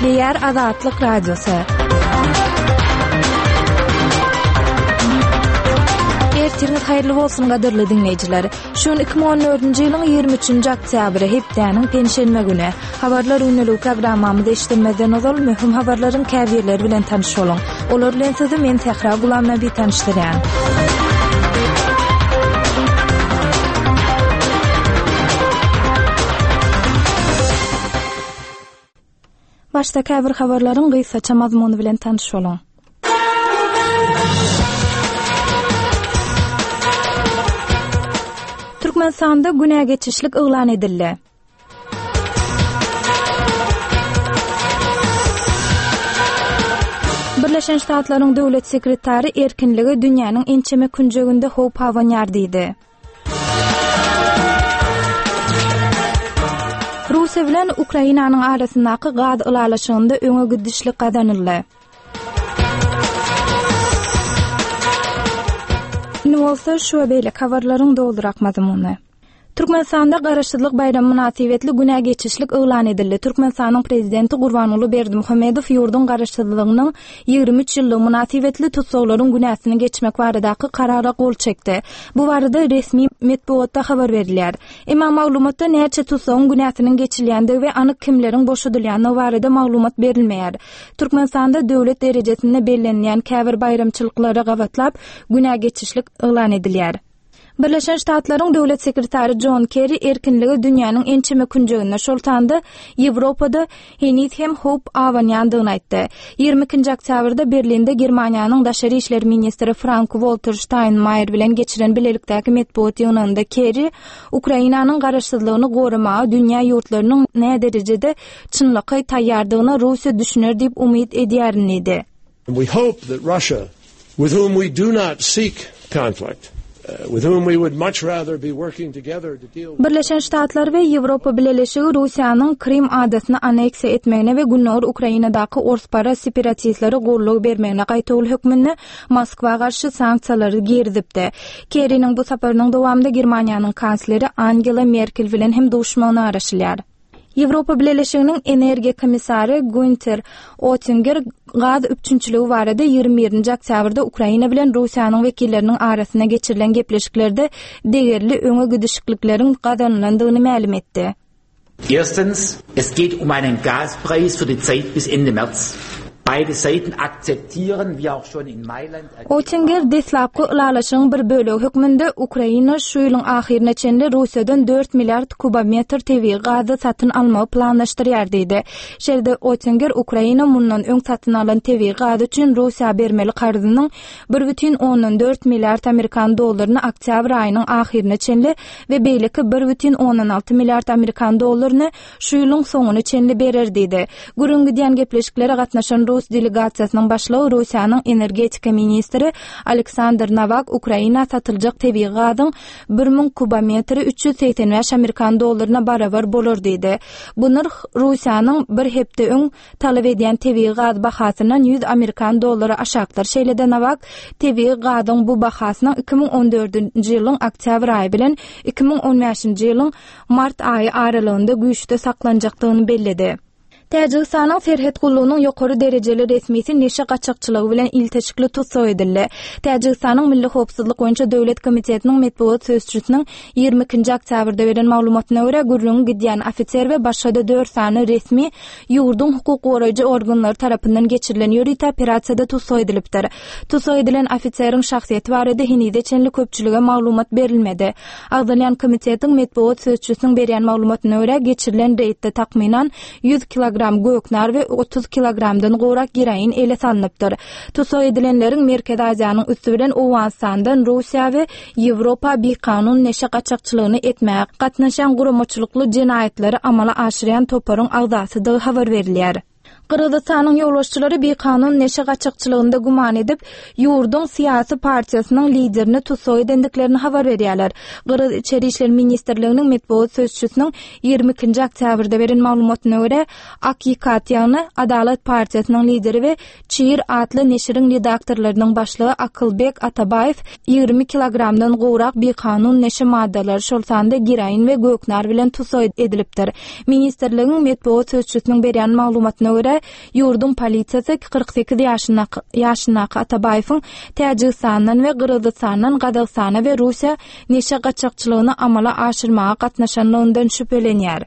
Gepleýär Azatlyk Radiosy. Ertiriňiz haýyrly bolsun gadyrly diňleýjiler. Şu gün 2014-nji ýylyň 23-nji oktýabry, hepdäniň penşenbe güni. Habarlar gündeligi programmamyzy eşitdirmezden ozal möhüm habarlaryň käbirleri bilen tanyş boluň. Olar bilen sizi men Sähra Gulamnabi tanyşdyrýan. Başda käbir habarlaryň gysgaça mazmuny bilen tanyş boluň. Türkmenistanda günä geçişlik yglan edildi. Birleşen Ştatlaryň döwlet sekretary erkinlige dünýäniň ençeme künjeginde howp abanýar diýdi. Russiýa bilen Ukrainanyň arasyndaky gaz ylalaşygynda öňe gidişlik gazanyldy. Indi bolsa şu we beýleki habarlaryň dolurak mazmuny. Türkmenistanda Garaşsyzlyk baýramy mynasybetli günä geçişlik yglan edildi. Türkmenistanyň Prezidenti Gurbanguly Berdimuhamedow ýurduň Garaşsyzlygynyň 23 ýyllygy mynasybetli tussaglaryň günäsini geçmek baradaky Karara gol çekdi. Bu barada resmi metbugatda habar berilýär. Emma maglumatda näçe tussagyň günäsiniň geçilýändigi we anyk kimleriň boşadylýandygy barada maglumat berilmeýär. Türkmenistanda döwlet derejesinde bellenilýän käbir baýramçylyklara gabatlap günä geçişlik yglan edilýär. Birleşen Ştatlaryň Döwlet sekretary Jon Kerri erkinlige dünýäniň ençeme künjeginde, şol sanda Ýewropada heniz hem howp abanýandygyny aýtdy. 22-nji oktýabrda Berlinde Germaniýanyň daşary işler ministri Frank-Walter Ştaýnmaýer bilen geçiren bilelikdäki metbugat ýygnagynda Kerri Ukrainanyň garaşsyzlygyny goramaga dünýä ýurtlarynyň näderejede çynlakaý taýýardygyna Russiýa düşüner diýip umyt edýärin diýdi. We hope that Russia, with whom we do not seek conflict, uh, with whom we would much rather be working together to deal with Birleşen Ştatlar we Ýewropa Bileleşigi Russiýanyň Krym adasyny anneksiýa etmegine we Gündogar Ukrainadaky orsparaz separatistlere goldaw bermegine gaýtawul hökmünde Moskwa garşy sanksiýalary girizipdi. Kerriniň bu saparynyň dowamynda Germaniýanyň kansleri Angela Merkel bilen hem duşmagyna garaşylýar. Ýewropa Bileleşiginiň energiýa komissary Günter Oettinger gaz üpjünçiligi barada 21-nji oktýabrda Ukraina bilen Russiýanyň wekilleriniň arasynda geçirilen gepleşiklerde degerli öňe gidişiklikleriň gazanylandygyny mälim etdi. Erstens, es geht um einen Gaspreis für die Zeit bis Ende März. Beide Seiten akzeptieren, wie auch schon in Mailand Oettinger deslapky ylalaşygyň bir bölegi hökmünde Ukraina şu ýylyň ahyryna çenli Russiýadan dört milliard kubometr tebigy gazy satyn almagy planlaşdyrýar diýdi. Şeýle-de Oettinger Ukraina mundan öň satyn alan tebigy gazy üçin Russiýa bermeli karzynyň bir bütin ondan dört milliard amerikan dollaryny oktýabr aýynyň ahyryna çenli we beýleki bir bütin ondan alty milliard amerikan dollaryny şu ýylyň soňuna çenli berer diýdi. Gürrüň gidýän gepleşiklere gatnaşan rus delegasiýasynyň başlygy Russiýanyň energetika ministri Aleksandr Nowak Ukraina satyljak tebigy gazyň 1000 kubometri 385 amerikan dollaryna barabar bolar diýdi. Bu nyrh Russiýanyň bir hepde öň talap edýän tebigy gaz bahasyndan 100 amerikan dollary aşakdyr. Şeýle-de Nowak tebigy gazyň bu bahasynyň 2014-nji ýylyň oktýabr aýy bilen 2015-nji ýylyň mart aýy aralygynda güýçde saklanjakdygyny belledi. Täjigistanyň serhet gullugynyň ýokary derejeli resmisi neşe gaçakçylygy bilen ilteşikli tussag edildi. Täjigistanyň Milli howpsuzlyk boýunça döwlet komitetiniň metbugat sözçüsiniň 22-nji oktýabrda beren maglumatyna görä, gürrüňi gidýän ofiser we başga-da dört sany resmi ýurduň hukuk goraýjy organlary tarapyndan geçirilen ýörite operasiýada tussag edilipdir. Tussag edilen ofiseriň şahsyýeti barada henize çenli köpçülige maglumat berilmedi. Agzalýan komitetiň metbugat sözçüsiniň berýän maglumatyna görä, geçirilen reýdde takmynan 100 kilogram göknar we 30 kilogramdan gowrak geroin ele salnypdyr. Tussag edilenleriň Merkezi Aziýanyň üsti bilen Owganystandan Russiýa we Ýewropa bikanun neşe gaçakçylygyny etmäge gatnaşýan guramaçylykly jenaýatlary amala aşyrýan toparyň agzasydygy habar berilýär. Gyrgyzystanyň ýolbaşçylary bikanun neşe gaçakçylygynda güman edip, ýurduň syýasy partiýasynyň liderini tussag edendiklerini habar berýärler. Gyrgyz Içeri işler ministrliginiň metbugat sözçüsiniň 22-nji oktýabrda beren maglumatyna görä, Akikat, ýagny Adalat partiýasynyň lideri we Çir atly neşiriň redaktorlarynyň başlygy Akylbek Atabaýew 20 kilogramdan gowrak bikanun neşe maddalary, şol sanda geroin we göknar bilen tussag edilipdir. Ministrligiň metbugat sözçüsiniň berýän maglumatyna görä, görä, ýurduň polisiýasy 48 ýaşyndaky ýaşyndaky Atabaýewiň Täjigistandan we Gyrgyzystandan Gazagystana we Russiýa neşe gaçakçylygyny amala aşyrmaga gatnaşanlygyndan şübhelenýär.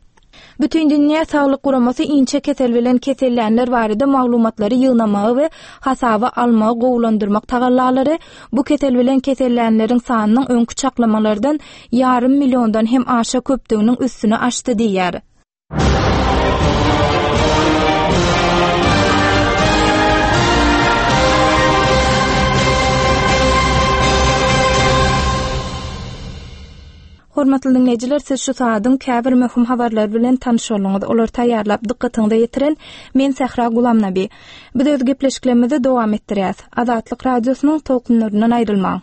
Bütindünýä Saglyk Guramasy inçe kesel bilen kesellänler barada maglumatlary ýygnamagy we hasaba almagy gowulandyrmak tagallalary bu kesel bilen kesellänleriň sanynyň öňki çaklamalardan ýarym milliondan hem aşa köpdüginiň üstüni açdy diýýär. Hormatly diňleýjiler, siz şu sagadyň käbir möhüm habarlary bilen tanyş bolduňyz. Olary taýýarlap dykgatyňyza ýetiren men Sähra Gulamnabi. Biz öz gepleşiklerimizi dowam etdirýäs. Azatlyk Radiosynyň tolkunlaryndan aýrylmaň.